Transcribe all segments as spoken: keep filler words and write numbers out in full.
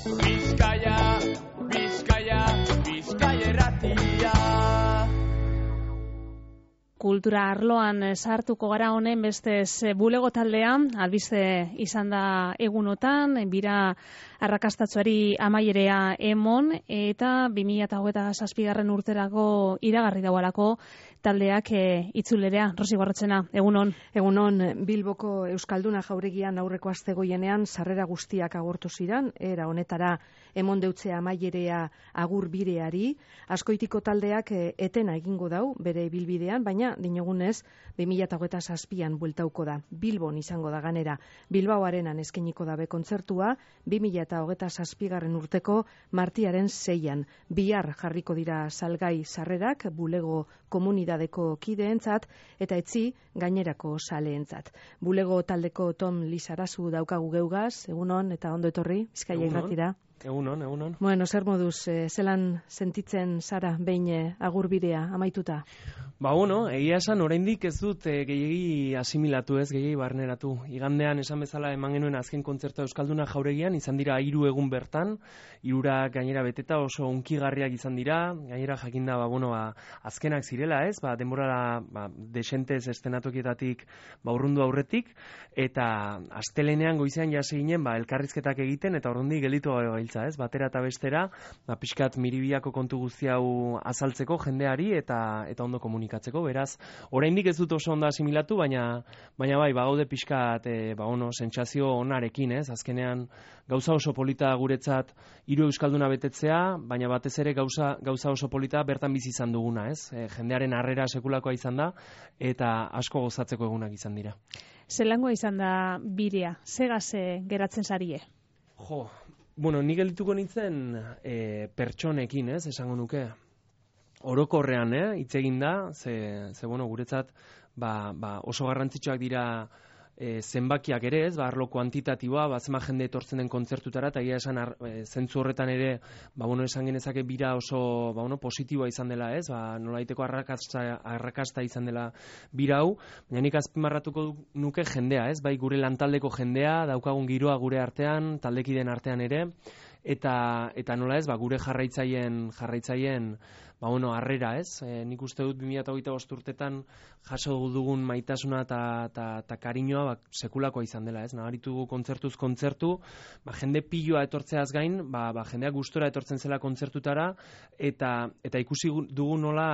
Bizkaia, Bizkaia, Bizkaia irratia. Kultura arloan sartuko gara honen bestez bulego taldea, albiste izan da egunotan, bira arrakastatsuari amaierea emon, eta bi mila hogeita zazpigarren urterako iragarri daualako taldeak e, itzulerea. Rosi Gorrotzena, egunon. Egunon, Bilboko Euskalduna jauregian aurreko aste goienean sarrera guztiak agortu ziren, era honetara emon deutzea amaierea agur bireari, askoitiko taldeak e, etena egingo dau bere bilbidean, baina dinogunez bi mila hogeita zazpian bueltauko da. Bilbon izango da ganera. Bilbao Arenan eskainiko dabe kontzertua, bi mila hogeita zazpigarren urteko martiaren seian. Bihar jarriko dira salgai sarrerak bulego komunidadeko kideentzat eta etzi gainerako saleentzat. Bulego taldeko Tom Lizarazu daukagu geugaz, egunon eta ondo etorri, Bizkaia irratira. Egunon, egunon. Bueno, zer moduz, eh, zelan sentitzen zara behin eh, agurbirea amaituta? Ba, bueno, egia esan, oraindik ez dut e, gehiegi asimilatu ez, gehiegi barneratu. Igandean esan bezala eman genuen azken kontzertua Euskalduna jauregian, izan dira hiru egun bertan, hirura gainera beteta oso unkigarriak izan dira, gainera jakinda, ba, bueno, ba, azkenak zirela ez, ba, denborara ba, desentez estenatokietatik ba, urrundu aurretik, eta astelenean goizean jase ginen, ba, elkarrizketak egiten, eta ordundi gelitu gabiltza ez, batera eta bestera, ba, pixkat miribiako kontu guzti hau azaltzeko jendeari, eta, eta ondo komunikatzeko. Beraz, oraindik ez dut oso ondo asimilatu, baina baina bai, bagaude pixkat, e, ba ono, sentsazio onarekin, ez? Azkenean gauza oso polita guretzat hiru euskalduna betetzea, baina batez ere gauza gauza oso polita bertan bizi izan duguna, ez? E, jendearen harrera sekulakoa izan da eta asko gozatzeko egunak izan dira. Zelangoa izan da birea? Zegaz geratzen zarie? Jo, bueno, ni geldituko nintzen e, pertsonekin, ez? Esango nuke. Orokorrean, eh, hitz egin da, ze, ze bueno, guretzat ba, ba oso garrantzitsuak dira e, zenbakiak ere, ez, ba, arlo kuantitatiboa, ba, zema jende etortzen den kontzertutara, eta egia esan ar, e, zentzu horretan ere, ba, bueno, esan genezake bira oso, ba, bueno, positiboa izan dela, ez, ba, nolaiteko arrakasta, arrakasta izan dela bira hau, baina nik azpimarratuko nuke jendea, ez, bai, gure lantaldeko jendea, daukagun giroa gure artean, taldekideen artean ere, eta eta nola ez, ba, gure jarraitzaien jarraitzaien ba bueno, harrera, ez? E, nik uste dut bi mila hogeita bost urtetan jaso dugun maitasuna eta ta ta kariñoa ba, sekulakoa izan dela, ez? Nabaritu kontzertuz kontzertu, ba, jende piloa etortzeaz gain, ba, ba jendeak gustora etortzen zela kontzertutara eta eta ikusi dugu nola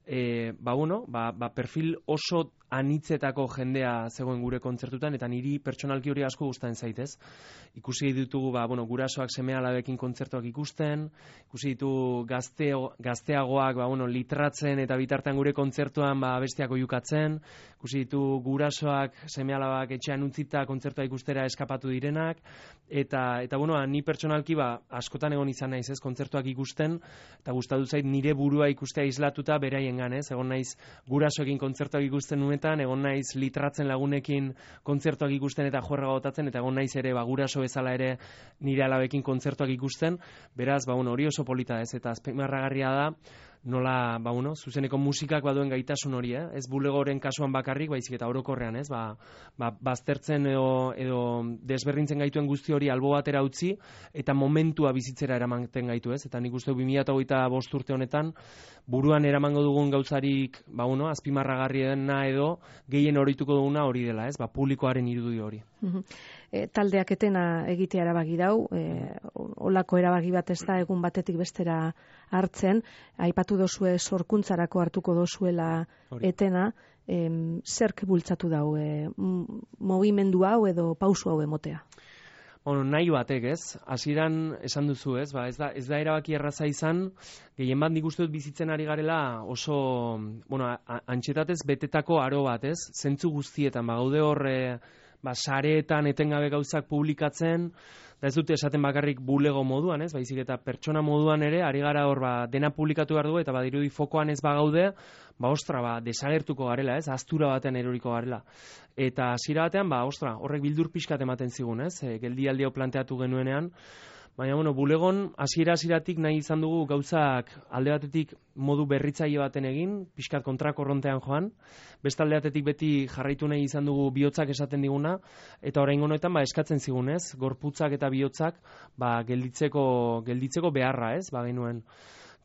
e, ba bueno, ba, ba perfil oso anitzetako jendea zegoen gure kontzertutan, eta niri pertsonalki hori asko gustatzen zaitez. Ikusi ditugu, ba, bueno, gurasoak seme-alabekin kontzertuak ikusten, ikusi ditu gazteo, gazteagoak, ba, bueno, litratzen eta bitartean gure kontzertuan ba, bestiak oihukatzen, ikusi ditu gurasoak seme-alabak etxean utzita kontzertua ikustera eskapatu direnak, eta, eta bueno, ni pertsonalki ba, askotan egon izan naiz, ez, kontzertuak ikusten, eta gustatu zait nire burua ikustea islatuta beraiengan, ez, egon naiz gurasoekin kontzertuak ikusten nuen, egon naiz litratzen lagunekin kontzertuak ikusten eta juerga botatzen, eta egon naiz ere ba, guraso bezala ere nire alabekin kontzertuak ikusten, beraz, ba, bueno, hori oso polita ez, eta azpimarragarria da, nola, ba, bueno, zuzeneko musikak baduen gaitasun hori, eh? Ez bulegoren kasuan bakarrik, baizik eta orokorrean, ez, ba, ba, baztertzen edo, edo desberdintzen gaituen guzti hori albo batera utzi, eta momentua bizitzera eramanten gaitu, ez, eta nik uste bi mila hogeita bost urte honetan, buruan eramango dugun gauzarik, ba, bueno, azpimarragarriena edo gehien horituko duguna hori dela, ez, ba, publikoaren irudi hori. E, taldeak etena egitea erabaki dau, e, olako erabaki bat ez da egun batetik bestera hartzen, aipatu dozue sorkuntzarako hartuko dozuela etena, e, zerk bultzatu dau, e, mogimendu hau edo pausu hau emotea? Bueno, nahi batek, ez? Hasieran esan duzu, ez? Ba, ez da, ez da erabaki erraza izan, gehien bat nik uste dut bizitzen ari garela oso, bueno, antxetatez betetako aro bat, ez? Zentzu guztietan, ba, gaude hor, e, ba, sareetan etengabe gauzak publikatzen, da ez dute esaten bakarrik bulego moduan, ez? Baizik eta pertsona moduan ere, ari gara hor, ba, dena publikatu behar dugu, eta badirudi fokoan ez bagaude, ba, ostra, ba, desagertuko garela, ez? Aztura batean eroriko garela. Eta hasiera batean, ba, ostra, horrek bildur pixkat ematen zigun, ez? E, geldialdi hau planteatu genuenean, Baina, bueno, bulegon hasiera-hasieratik nahi izan dugu gauzak alde batetik modu berritzaile baten egin, pixkat kontrakorrontean joan, beste alde batetik beti jarraitu nahi izan dugu bihotzak esaten diguna, eta oraingo honetan ba, eskatzen zigunez, gorputzak eta bihotzak ba, gelditzeko, gelditzeko beharra, ez, ba, genuen.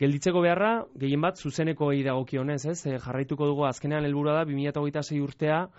Gelditzeko beharra, gehien bat, zuzeneko egi dagokionez, ez, e, jarraituko dugu azkenean helburua da, bi mila hogeita sei urtea,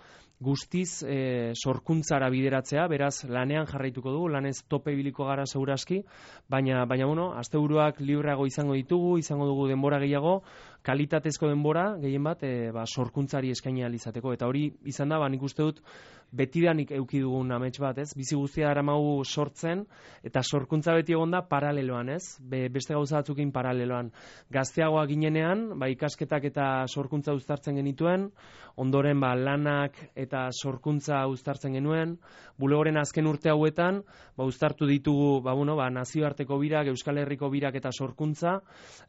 guztiz e, sorkuntzara bideratzea, beraz lanean jarraituko dugu, lanez tope ibiliko gara segurazki, baina, baina bueno, asteburuak libreago izango ditugu, izango dugu denbora gehiago, kalitatezko denbora, gehien bat, e, ba, sorkuntzari eskaini ahal izateko, eta hori izan da, ba, nik uste dut, betidanik euki dugun amets bat, ez? Bizi guztia daramagu sortzen, eta sorkuntza beti egon da paraleloan, ez? Be, beste gauza batzukin paraleloan. Gazteagoa ginenean, ba, ikasketak eta sorkuntza uztartzen genituen, ondoren ba, lanak eta sorkuntza uztartzen genuen, bulegoren azken urte hauetan, ba, uztartu ditugu ba, bueno, ba, nazioarteko birak, Euskal Herriko birak eta sorkuntza,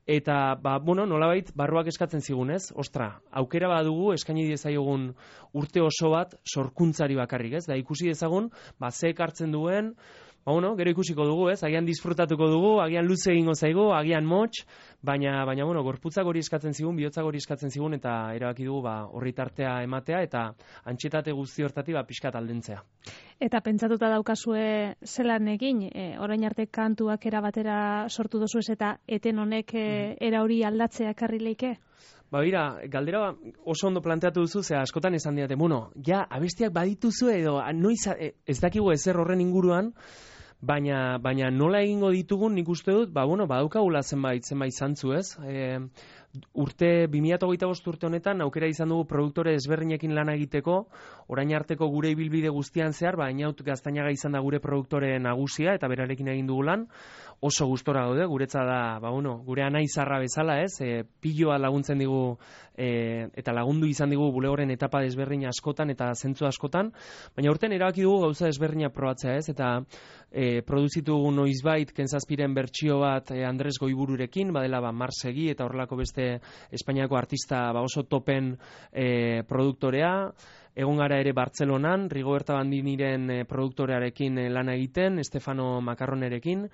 eta ba, bueno, nolabait barruak eskatzen zigun, ez? Ostra, aukera badugu eskaini diezaiogun urte oso bat sorkuntzari bakarrik, ez? Da ikusi dezagun, ba, ze ekartzen duen, ba, bueno, gero ikusiko dugu, ez? Agian disfrutatuko dugu, agian luze egingo zaigu, agian motx, baina, baina, bueno, gorputzak hori eskatzen zigun, bihotzak hori eskatzen zigun, eta erabaki dugu, ba, horri tartea ematea, eta antxetate guzti hortatik, ba, pixkat aldentzea. Eta pentsatuta daukazue zelan egin, e, orain arte kantuak era batera sortu dozu ez, eta eten honek e, era hori aldatzea ekarri leike? Ba, bira, galdera oso ondo planteatu duzu, ze askotan esan diate, bueno, ja, abestiak badituzu edo, noiz, ez dakigu ezer horren inguruan, baina, baina nola egingo ditugun nik uste dut, ba, bueno, badaukagula zenbait, zenbait zantzu, ez? E, urte, bi mila hogeita bost urte honetan, aukera izan dugu produktore ezberdinekin lana egiteko, orain arteko gure ibilbide guztian zehar, ba, Inaut Gaztañaga izan da gure produktore nagusia, eta berarekin egin dugu lan, oso gustora gaude, guretza da, ba, bueno, gure anaizarra bezala, ez, e, piloa laguntzen digu, e, eta lagundu izan digu bulegoren etapa desberdin askotan, eta zentzu askotan, baina urten erabaki dugu gauza desberdina probatzea, ez, eta e, produzitu noizbait, Kenzazpiren bertsio bat e, Andres Goibururekin, badela ba, Marsegi, eta horrelako beste Espainiako artista ba, oso topen e, produktorea, egon gara ere Bartzelonan, Rigoberta Bandiniren e, produktorearekin e, lana egiten, Stefano Macarronerekin,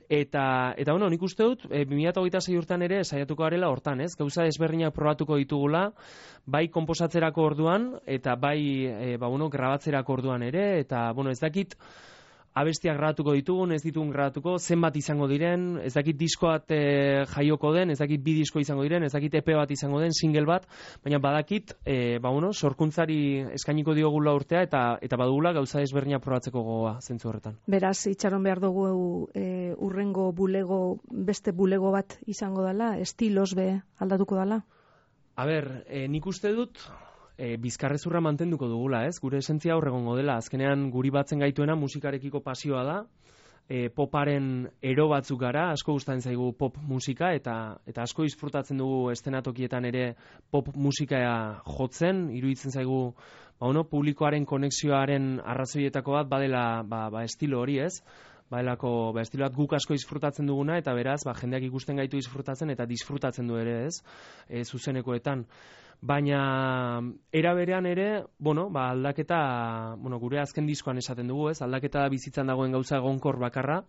eta, eta bueno, nik uste dut, e, bi mila hogeita sei urtean ere saiatuko garela hortan, ez? Gauza ezberdinak probatuko ditugula, bai konposatzerako orduan, eta bai, e, ba, bueno, grabatzerako orduan ere, eta, bueno, ez dakit, abestiak grabatuko ditugun, ez ditugun grabatuko, zenbat izango diren, ez dakit disko bat e, jaioko den, ez dakit bi disko izango diren, ez dakit E P bat izango den, single bat, baina badakit, e, ba, bueno, sorkuntzari eskainiko diogula urtea, eta eta badugula gauza ezberdina probatzeko gogoa zentzu horretan. Beraz, itxaron behar dugu e, urrengo bulego, beste bulego bat izango dela, estilos be aldatuko dela? A ber, e, nik uste dut, E, bizkarrezurra mantenduko dugula, ez? Gure esentzia horregongo dela. Azkenean guri batzen gaituena musikarekiko pasioa da. E, poparen ero batzuk gara, asko gustatzen zaigu pop musika, eta eta asko disfrutatzen dugu estenatokietan ere pop musika jotzen, iruditzen zaigu ba, bueno, publikoaren konexioaren arrazoietako bat badela ba, ba, estilo hori, ez? Baelako, ba, estilo bat guk asko disfrutatzen duguna, eta beraz, ba, jendeak ikusten gaitu disfrutatzen, eta disfrutatzen du ere, ez? E, zuzenekoetan. Baina era berean ere, bueno, ba, aldaketa, bueno, gure azken diskoan esaten dugu, ez? Aldaketa bizitzan dagoen gauza egonkor bakarra,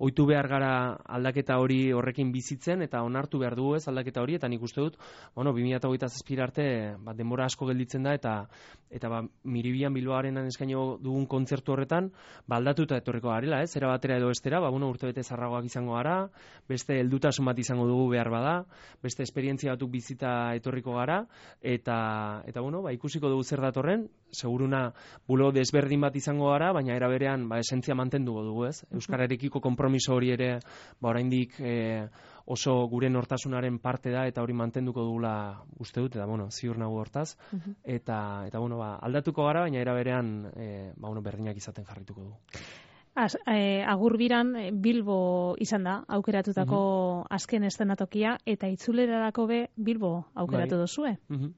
ohitu behar gara aldaketa hori horrekin bizitzen eta onartu behar dugu, ez? Aldaketa hori, eta nik uste dut, bueno, bi mila hogeita zazpi arte, ba, denbora asko gelditzen da, eta eta ba, Miribian Bilbaorenan eskaino dugun kontzertu horretan, ba, aldatuta etorriko garela, ez? Era batera edo estera, ba, bueno, urtebete zarragoak izango gara, beste heldutasun bat izango dugu behar bada, beste esperientzia batuk bizita etorriko gara, eta eta bueno, ba, ikusiko dugu zer datorren, seguruna bulo desberdin bat izango gara, baina era berean ba, esentzia mantenduko dugu, ez? Euskararekiko konpromiso hori ere ba, oraindik e, oso gure nortasunaren parte da, eta hori mantenduko dugula uste dut, eta bueno, ziur nago hortaz, uh-huh. eta, eta bueno, ba, aldatuko gara, baina era berean e, ba, bueno, berdinak izaten jarrituko dugu. Az, eh, agurbiran Bilbo izan da aukeratutako uh-huh. azken estenatokia, eta itzulerarako be Bilbo aukeratu bai. Dozue. Uh-huh.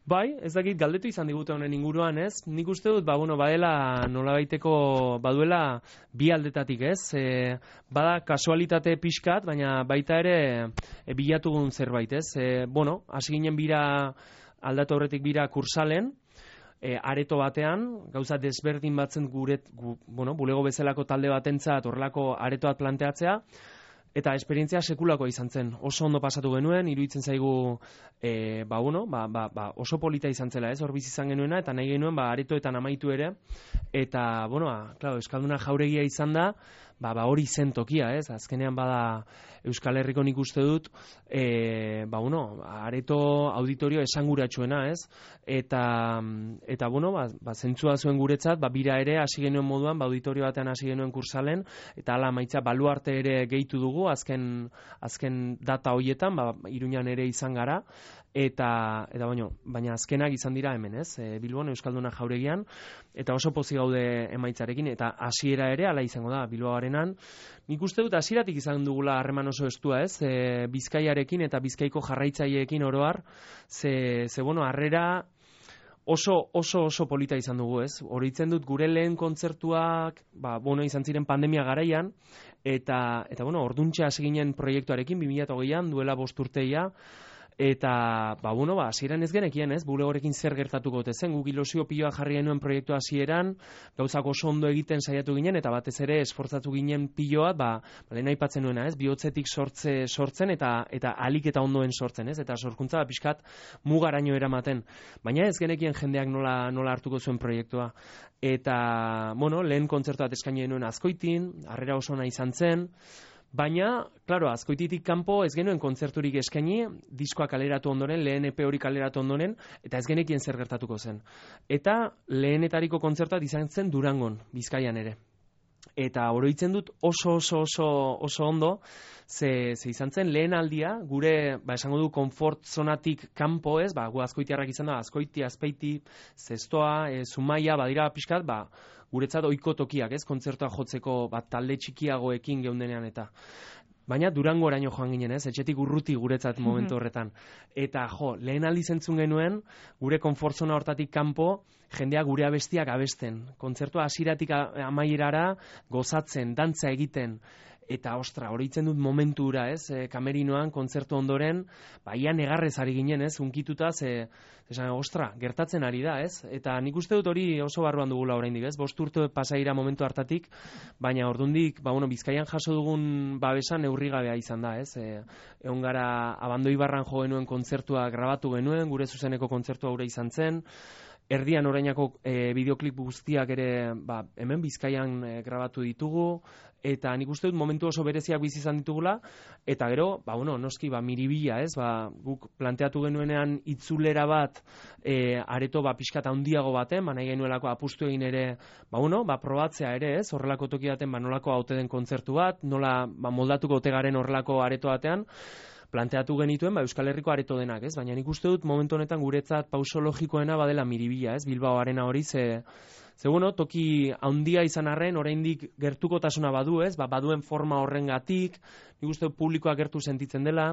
Bai, ez dakit galdetu izan digute honen inguruan, ez? Nik uste dut, ba, bueno, badela nolabaiteko, baduela bi aldetatik, ez? E, bada kasualitate pixkat, baina baita ere e, bilatugun zerbait, ez? E, bueno, hasi ginen bira, aldatu horretik bira kursalen, e, areto batean, gauza desberdin batzen gure, gu, bueno, bulego bezalako talde batentzat horrelako aretoat planteatzea, eta esperientzia sekulako izan zen. Oso ondo pasatu genuen, iruditzen zaigu e, ba, bueno, ba, ba, ba, oso polita izan zela, ez, hor bizi izan genuena, eta nahi genuen ba, aretoetan amaitu ere, eta, bueno, ba, claro, Euskalduna jauregia izan da, ba, ba hori zen tokia, ez, azkenean bada Euskal Herriko nik uste dut, e, ba, bueno, areto auditorio esanguratsuena, ez, eta, eta bueno, ba, ba, zentzua zuen guretzat, ba, bira ere hasi genuen moduan, ba, auditorio batean hasi genuen kursalen, eta hala maitza baluarte ere gehitu dugu, azken, azken data hoietan, ba, Iruñan ere izan gara, eta, eta baino, baina azkenak izan dira hemen, ez, e, Bilbon Euskalduna jauregian, eta oso pozik gaude emaitzarekin, eta hasiera ere hala izango da, Bilbaoarenan. Nik uste dut hasieratik izan dugula harreman oso estua, ez, e, Bizkaiarekin eta Bizkaiko jarraitzaileekin oro har, ze, ze bueno, harrera oso, oso, oso polita izan dugu, ez, oroitzen dut gure lehen kontzertuak, ba, bueno, izan ziren pandemia garaian, eta, eta bueno, orduntxe hasi ginen proiektuarekin, bi mila hogeian, duela bost urteia, eta, ba, bueno, ba, hasieran ez genekien, ez, bulegorekin zer gertatuko ote zen, guk ilusio piloa jarri genuen proiektu hasieran, gauzak oso ondo egiten saiatu ginen, eta batez ere esfortzatu ginen piloa, ba, ba lehen aipatzen nuena, ez, bihotzetik sortze, sortzen, eta eta alik eta ondoen sortzen, ez, eta sorkuntza, ba, pixkat, mugaraino eramaten. Baina ez genekien jendeak nola, nola hartuko zuen proiektua. Eta, bueno, lehen kontzertu bat eskaini genuen Azkoitin, harrera oso ona izan zen, baina, klaro, Azkoititik kanpo ez genuen kontzerturik eskaini, diskoa kaleratu ondoren, lehen E P hori kaleratu ondoren, eta ez genekien zer gertatuko zen. Eta lehenetariko kontzertuak izan zen Durangon, Bizkaian ere. Eta oroitzen dut oso oso oso oso ondo, ze, ze izan zen lehen aldia, gure, ba, esango du, konfort zonatik kanpo, ez, ba, gu Azkoitiarrak izan da, Azkoiti, Azpeiti, Zestoa, e, Zumaia, badira pixkat, ba, guretzat ohiko tokiak, ez, kontzertua jotzeko, bat talde txikiagoekin geundenean eta. Baina Durango oraino joan ginen, ez, etxetik urruti guretzat momentu horretan. Eta, jo, lehen aldiz entzun genuen, gure konfortzona hortatik kanpo, jendea gure abestiak abesten. Kontzertua hasieratik amaierara gozatzen, dantza egiten. Eta, ostra, oroitzen dut momentura, ez, e, kamerinoan, kontzertu ondoren, ba, ia negarrez ari ginen, ez, unkituta, ze, esan, ostra, gertatzen ari da, ez, eta nik uste dut hori oso barruan dugula oraindik, ez, bost urte pasaira momentu hartatik, baina ordundik, ba, bueno, Bizkaian jaso dugun babesan neurrigabea izan da, ez, e, egon gara Abandoi Barran jo genuen kontzertua grabatu genuen, gure zuzeneko kontzertua gure izan zen, erdian orainako e, bideoklip guztiak ere, ba, hemen Bizkaian e, grabatu ditugu, eta nik uste dut momentu oso bereziak bizi izan ditugula, eta gero, ba, bueno, noski, ba, miribila, ez, ba, guk planteatu genuenean itzulera bat, e, areto, ba, pixkat handiago baten, ba, nahi genuelako apustu egin ere, ba, bueno, ba, probatzea ere, ez, horrelako toki baten, ba, nolako haute den kontzertu bat, nola, ba, moldatuko ote garen horrelako areto batean, planteatu genituen, ba, Euskal Herriko areto denak, ez, baina nik uste dut momentu honetan guretzat pauso logikoena badela miribila, ez, Bilbao arena hori, ze, Ze, bueno, toki handia izan arren, oraindik gertukotasuna badu, ez? Ba, baduen forma horrengatik, nik uste publikoa gertu sentitzen dela,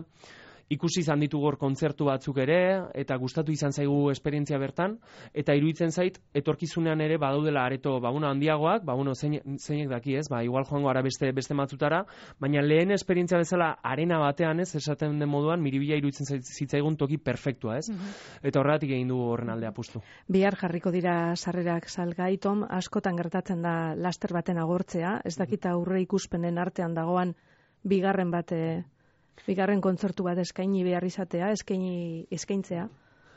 ikusi izan ditugu hor kontzertu batzuk ere, eta gustatu izan zaigu esperientzia bertan, eta iruditzen zait, etorkizunean ere badaudela areto, ba, bueno, handiagoak, ba, bueno, zein, zeinek daki, ez? Ba, igual joango ara beste, beste matzutara, baina lehen esperientzia bezala arena batean, ez? Esaten den moduan, miribila iruditzen zitzaigun toki perfektua, ez? Mm-hmm. Eta horregatik egin du horren alde apustu. Bihar jarriko dira sarrerak salgai, Tom, askotan gertatzen da laster baten agortzea, ez dakita aurre ikuspenen artean dagoan bigarren bate... Bigarren kontzertu bat eskaini behar izatea, eskaini eskaintzea.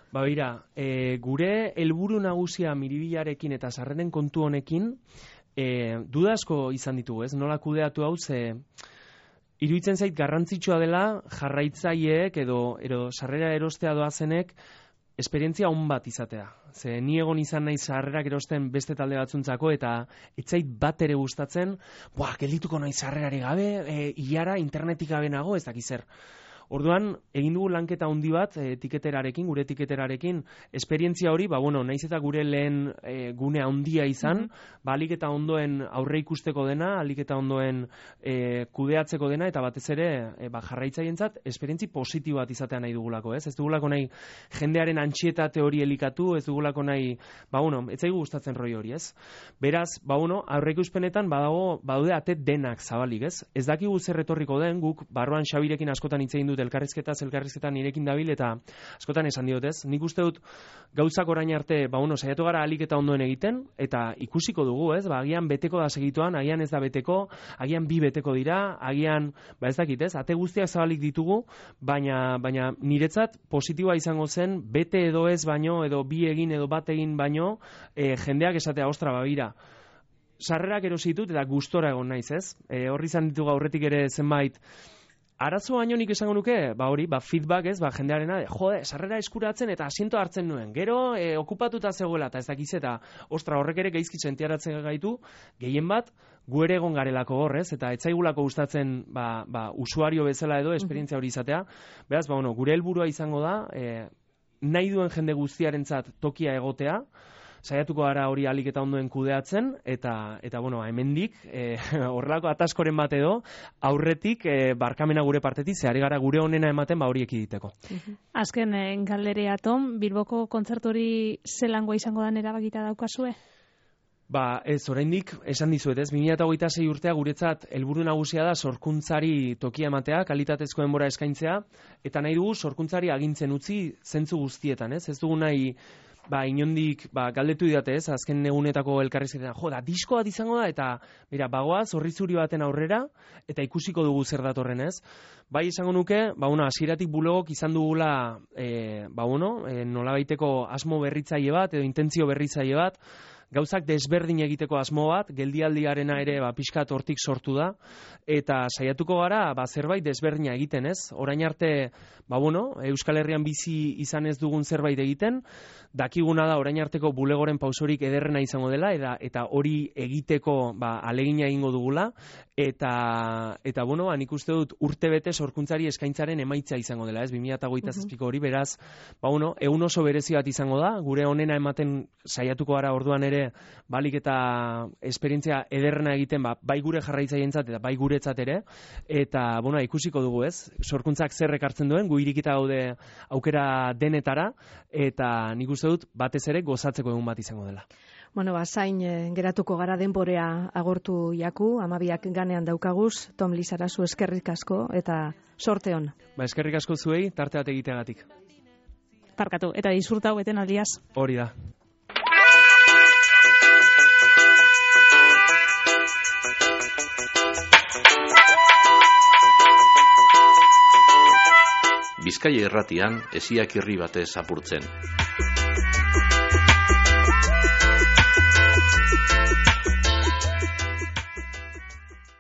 Ba, bera, e, gure helburu nagusia miribilarekin eta sarreren kontu honekin, e, duda asko izan ditugu, ez? Nola kudeatu hau, ze iruditzen zait garrantzitsua dela jarraitzaileek edo, edo sarrera erostea doazenek esperientzia on bat izatea. Ze ni egon izan nahi sarrerak erosten beste talde batzuntzako eta etzait bat ere gustatzen, buah, geldituko nahi sarrerari gabe, e, ilara internetik gabe nago, ez dakiz zer. Orduan, egin dugu lanketa handi bat, e, tiketerarekin, gure tiketerarekin, esperientzia hori, ba, bueno, naiz eta gure lehen e, gune handia izan, mm-hmm. ba, alik eta ondoen aurre ikusteko dena, alik eta ondoen e, kudeatzeko dena, eta batez ere, e, ba, jarraitzaientzat, esperientzi positibo bat izatea nahi dugulako, ez? Ez dugulako nahi jendearen antxietate hori elikatu, ez dugulako nahi, ba, bueno, ez zaigu gustatzen roi hori, ez? Beraz, ba, bueno, aurre ikuspenetan, badago, badaude ate denak zabalik, ez? Ez dakigu zer etorriko den, guk, barruan Xabirekin askotan hitz egin dut elkarrizketa, elkarrizketa nirekin dabil, eta askotan esan diot, ez? Nik uste dut gauzak orain arte, ba, bueno, saiatu gara alik eta ondoen egiten, eta ikusiko dugu, ez? Ba, agian beteko da segituan, agian ez da beteko, agian bi beteko dira, agian, ba ez dakit, ez? Ate guztiak zabalik ditugu, baina, baina niretzat positiboa izango zen, bete edo ez baino, edo bi egin edo bat egin baino, e, jendeak esatea, ostra, babira, sarrerak erosi ditut eta gustora egon naiz, ez? E, horri izan ditugu aurretik ere zenbait arazo baino nik esango nuke, ba hori, ba feedback, ez? Ba jendearena, jode, sarrera eskuratzen eta asiento hartzen nuen. Gero e, okupatuta zegoela eta ez dakiz eta ostra, horrek ere gaizki sentiaratzen gaitu, gehien bat gu ere egon garelako hor, ez? Eta etzaigulako gustatzen, ba, ba usuario bezala edo esperientzia hori izatea. Beraz, ba bueno, gure helburua izango da, e, nahi duen jende guztiarentzat tokia egotea. Saiatuko gara hori alik eta ondoen kudeatzen, eta, eta bueno, hemendik, e, horrelako ataskoren bat edo, aurretik e, barkamena gure partetik, zehari gara gure onena ematen ba hori ekiditeko. Azken, e, galderea, Tom, Bilboko kontzertu hori zelangoa izango dan erabakita daukazue? Ba, ez, oraindik esan dizuet, ez, bi mila hogeita sei urtea guretzat helburu nagusia da sorkuntzari tokia ematea, kalitatezko denbora eskaintzea, eta nahi dugu sorkuntzari agintzen utzi zentzu guztietan, ez, ez dugu nahi ba, inondik, ba, galdetu didate ez, azken egunetako elkarrizketan, jo, da, disko bat izango da, eta, mira, bagoaz, horri zuri baten aurrera, eta ikusiko dugu zer datorren ez. Bai, esango nuke, ba, bueno, hasieratik bulegok izan dugula, e, ba, bueno, e, nolabaiteko asmo berritzaile bat, edo intentzio berritzaile bat, gauzak desberdin egiteko asmo bat, geldialdiarena ere ba, pixkat hortik sortu da, eta saiatuko gara ba, zerbait desberdina egiten, ez? Orain arte, ba, bueno, Euskal Herrian bizi izan ez dugun zerbait egiten, dakiguna da orain arteko bulegoren pausorik ederrena izango dela, eta, eta hori egiteko ba, alegina egingo dugula, eta, eta bueno, ba, nik uste dut urte bete sorkuntzari eskaintzaren emaitza izango dela, ez? bi mila hogeita zazpiko hori, beraz, ba, bueno, egun oso berezi bat izango da, gure onena ematen saiatuko gara orduan ere, balik eta esperientzia ederrena egiten, ba, bai gure jarraitzaientzat eta bai guretzat ere, eta bueno, ikusiko dugu, ez? Sorkuntzak zer ekartzen duen, gu irikita gaude aukera denetara, eta nik uste dut batez ere gozatzeko egun bat izango dela. Bueno, ba, zain eh, geratuko gara denborea agortu jaku, amabiak ganean daukaguz, Tom Lizarazu eskerrik asko eta sorte hon. Ba, eskerrik asko zuei, tarte bat egiteagatik. Parkatu, eta disfrutau beten aldiaz. Hori da. Bizkaia irratian, esiak irri batez apurtzen.